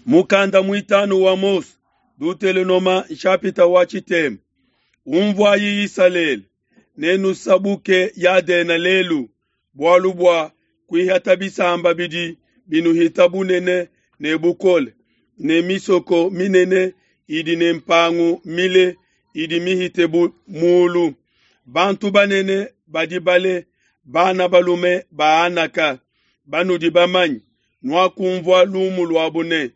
Mukanda muitanu wa Mose, Dutelonoma nshapita wa tshitema. Umvuayi Isalele, nenusabuke Yadena lelu, bualu bua kuihata bisamba bidi binuhita bunene ne bukole, ne misoko minene idi ne mpangu mile idi mihite bu mulu. Bantu banene badi bale, bana balume ba Anaka, banudi bamanye, nuakumvua lumu luabu ne,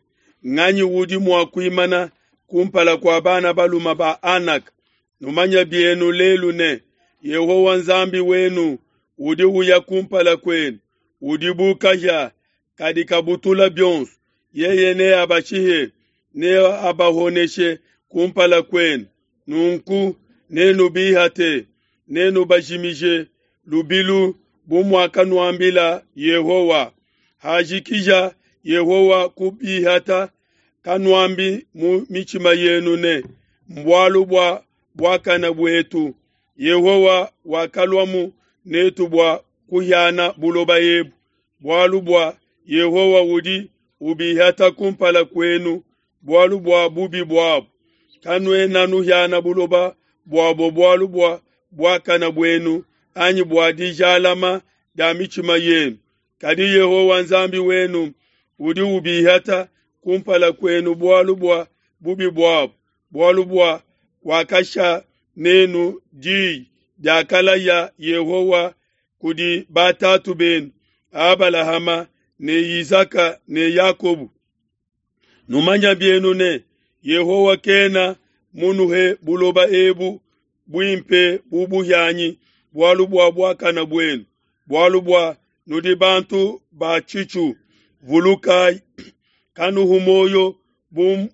nganyi udi mua kuimana kumpala kua bana balume ba Anaka? Numanye bienu lelu ne, Yehowa Nzambi wenu udi uya kumpala kuenu, udi bu kahia kadi kabutula bionso. Yeye neabashihe, neabahoneshe kumpala kuenu. Nunku nenubihate, nenubajimije lubilu bu muakanuambila Yehowa. Hajikija Yehowa kubihata, kanuambi mu mitshima yenu ne, mbualu bua buakane buetu. Yehowa wakaluamu netu bua kuhiana buloba ebu, bualu bua Yehowa udi ubihata kumpala kuenu bualu bua bubi buabo. Kanuena nuhiana buloba buabo bualu bua buakane buenu anyi bua dijalama dia mitshima yenu. Kadi Yehowa Nzambi wenu udi ubihata kumpala kuenu bualu bua bubi buabo, bualu bua wakasha nenu diyi diakalaya Yehowa kudi batatu benu, Abalahama ne Isaka ne Yakobo. Numanya bienu ne, Yehowa kena munuhe buloba ebu buimpe bu buhianyi bualu bua buakane buenu, bualu bua nudi bantu ba tshitshu. Vulukayi, kanuhu muoyo bu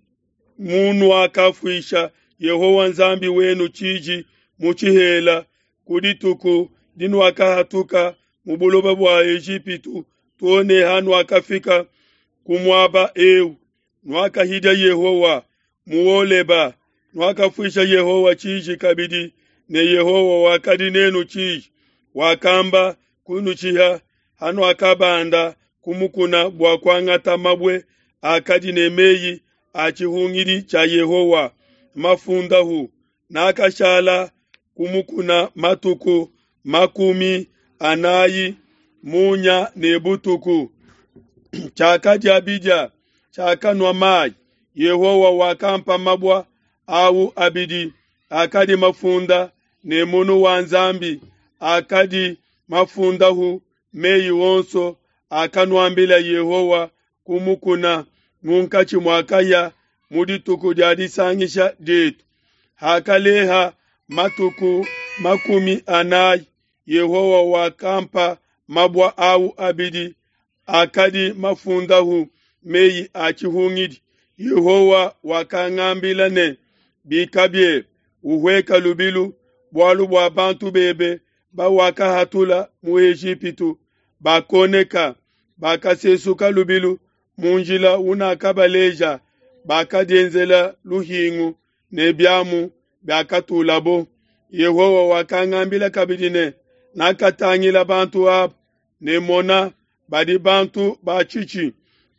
munuakafuisha Yehowa Nzambi wenu tshiji mu tshihela ku dituku dinuakahatuka mu buloba bua Ejipitu too ne hanuakafika ku muaba eu. Nuakahidia Yehowa mu Holeba, nuakafuisha Yehowa tshiji kabidi, ne Yehowa wakadi nenu tshiji, wakamba kunushiha hanuakabanda ku mukuna bua kuangata mabue akadi ne meyi a tshihungidi tshia Yehowa mafundahu. Nakashala ku mukuna matuku 40 munya ne butuku. Tshiakadia bidia, tshiakanua mayi. Yehowa wakampa mabua au abidi akadi mafunda ne munu wa Nzambi, akadi mafundahu meyi onso akanuambila Yehowa ku mukuna munkatshi mua kahia mu dituku dia disangisha dietu. Hakaleha matuku 40, Yehowa wakampa mabua au abidi akadi mafundahu meyi a tshihungidi. Yehowa wakangambila ne, Bika biebe, uhueka lubilu, bualu bua bantu bebe bawakahatula mu Ejipitu bakoneka, bakasesuka lubilu mu njila unakabaleja, bakadienzela luhingu ne biamu biakatulabo. Yehowa wakangambila kabidi ne, Nakatangila bantu aba, ne mona, badi bantu ba tshitshi.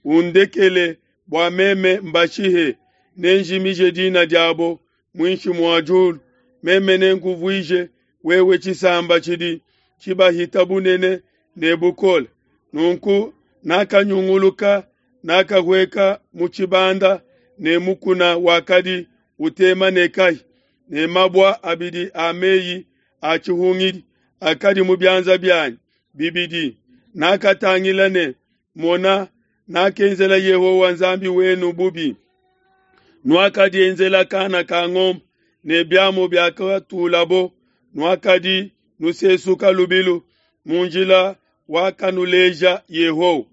Undekele bua meme mbashihe, nenjimije dina diabo muinshi mua diulu. Meme nenkuvuije wewe tshisamba tshidi tshibahita bunene ne bukole. Nunku nakanyunguluka, nakahueka mu tshibanda ne mukuna wakadi utema ne kahia, ne mabua abidi a meyi a tshihungidi akadi mu bianza bianyi bibidi. Nakatangila ne, mona, nakenzela Yehowa Nzambi wenu bubi. Nuakadienzela kana ka ngombe ne biamu biakatulabo, nuakadi nusesuka lubilu mu njila wakanuleja Yehowa.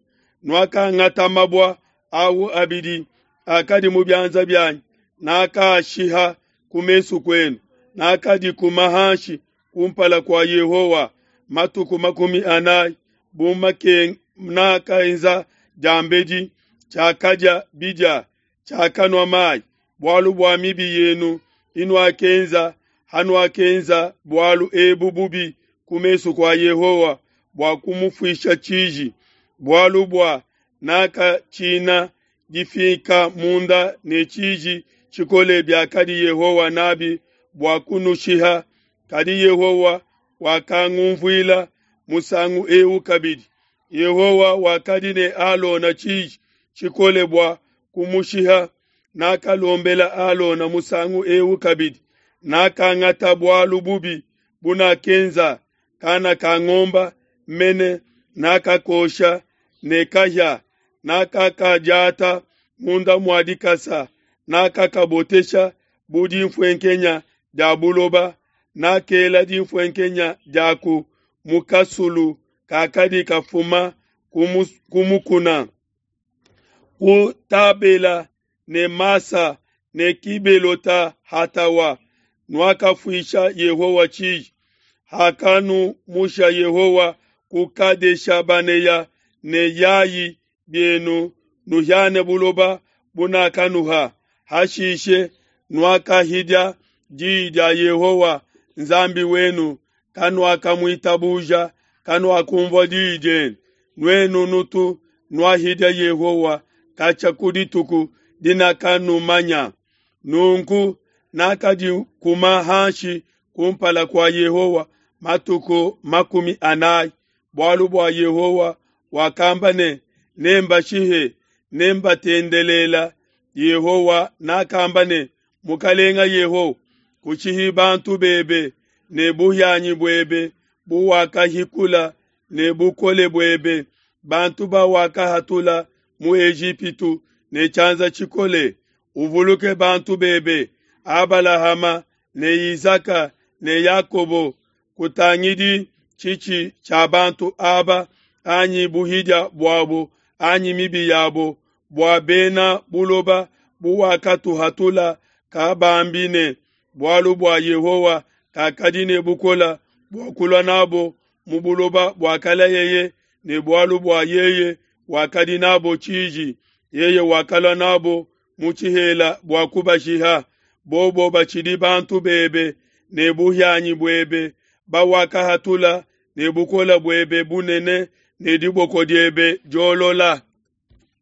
Nuakangata mabua au abidi akadi mu bianza bianyi, nakaashiha ku mesu kuenu, nakadikuma hanshi kumpala kua Yehowa matuku 40 bu nakaenza diambedi. Tshiakadia bidia, tshiakanua mayi, bualu bua mibi yenu inuakenza hanuakenza bualu ebu bubi ku mesu kua Yehowa bua kumufuisha tshiji, bualu bua nakatshina. difiika munda ne tshiji tshikole biakadi Yehowa nabi bua kunushiha. Kadi Yehowa wakangunvuila musangu eu kabidi. Yehowa wakadi ne Alona tshiji tshikole bua kumushiha. Nakalombela Alona musangu eu kabidi. Nakangata bualu bubi bunakenza kana ka ngomba mene nakakosha ne kahia, nakakadiata munda mua dikasa, nakakabotesha bu dinfuenkenya dia buloba, nakela dinfuenkenya diaku mu kasulu kakadi kafuma ku mukuna. Ku Tabela ne Masa ne Kibelota Hatawa nuakafuisha Yehowa tshiji. Hakanumusha Yehowa ku Kadesha Baneya ne yayi bienu nuhiane buloba bunakanuha. Hashishe nuakahidia diyi dia Yehowa Nzambi wenu, kanuakamuitabuja, kanuakunvua diyi diende. Nuenu nutu nuahidia Yehowa katshia ku dituku dinakanumanya. Nunku nakadikuma hanshi kumpala kua Yehowa matuku 40, bualu bua Yehowa wakamba ne, Nembashihe, nembatendelela. Yehowa nakamba ne, Mukalenga Yehowa, kushihi bantu bebe ne buhianyi buebe buwakahikula ne bukole buebe, bantu bawakahatula mu Ejipitu ne tshianza tshikole. Uvuluke bantu bebe Abalahama ne Isaka ne Yakobo. Kutangidi tshitshi tshia bantu aba anyi buhidia buabo anyi mibi yabo, bua bena buloba buwakatuhatula kabambi ne, bualu bua Yehowa kakadi ne bukole bua kulua nabo mu buloba buakalayeye, ne bualu bua yeye wakadi nabo tshiji, yeye wakalua nabo mu tshihela bua kubashiha. Bobo batshidi bantu bebe ne buhianyi buebe bawakahatula ne bukole buebe bunene ne diboko diebe diolola.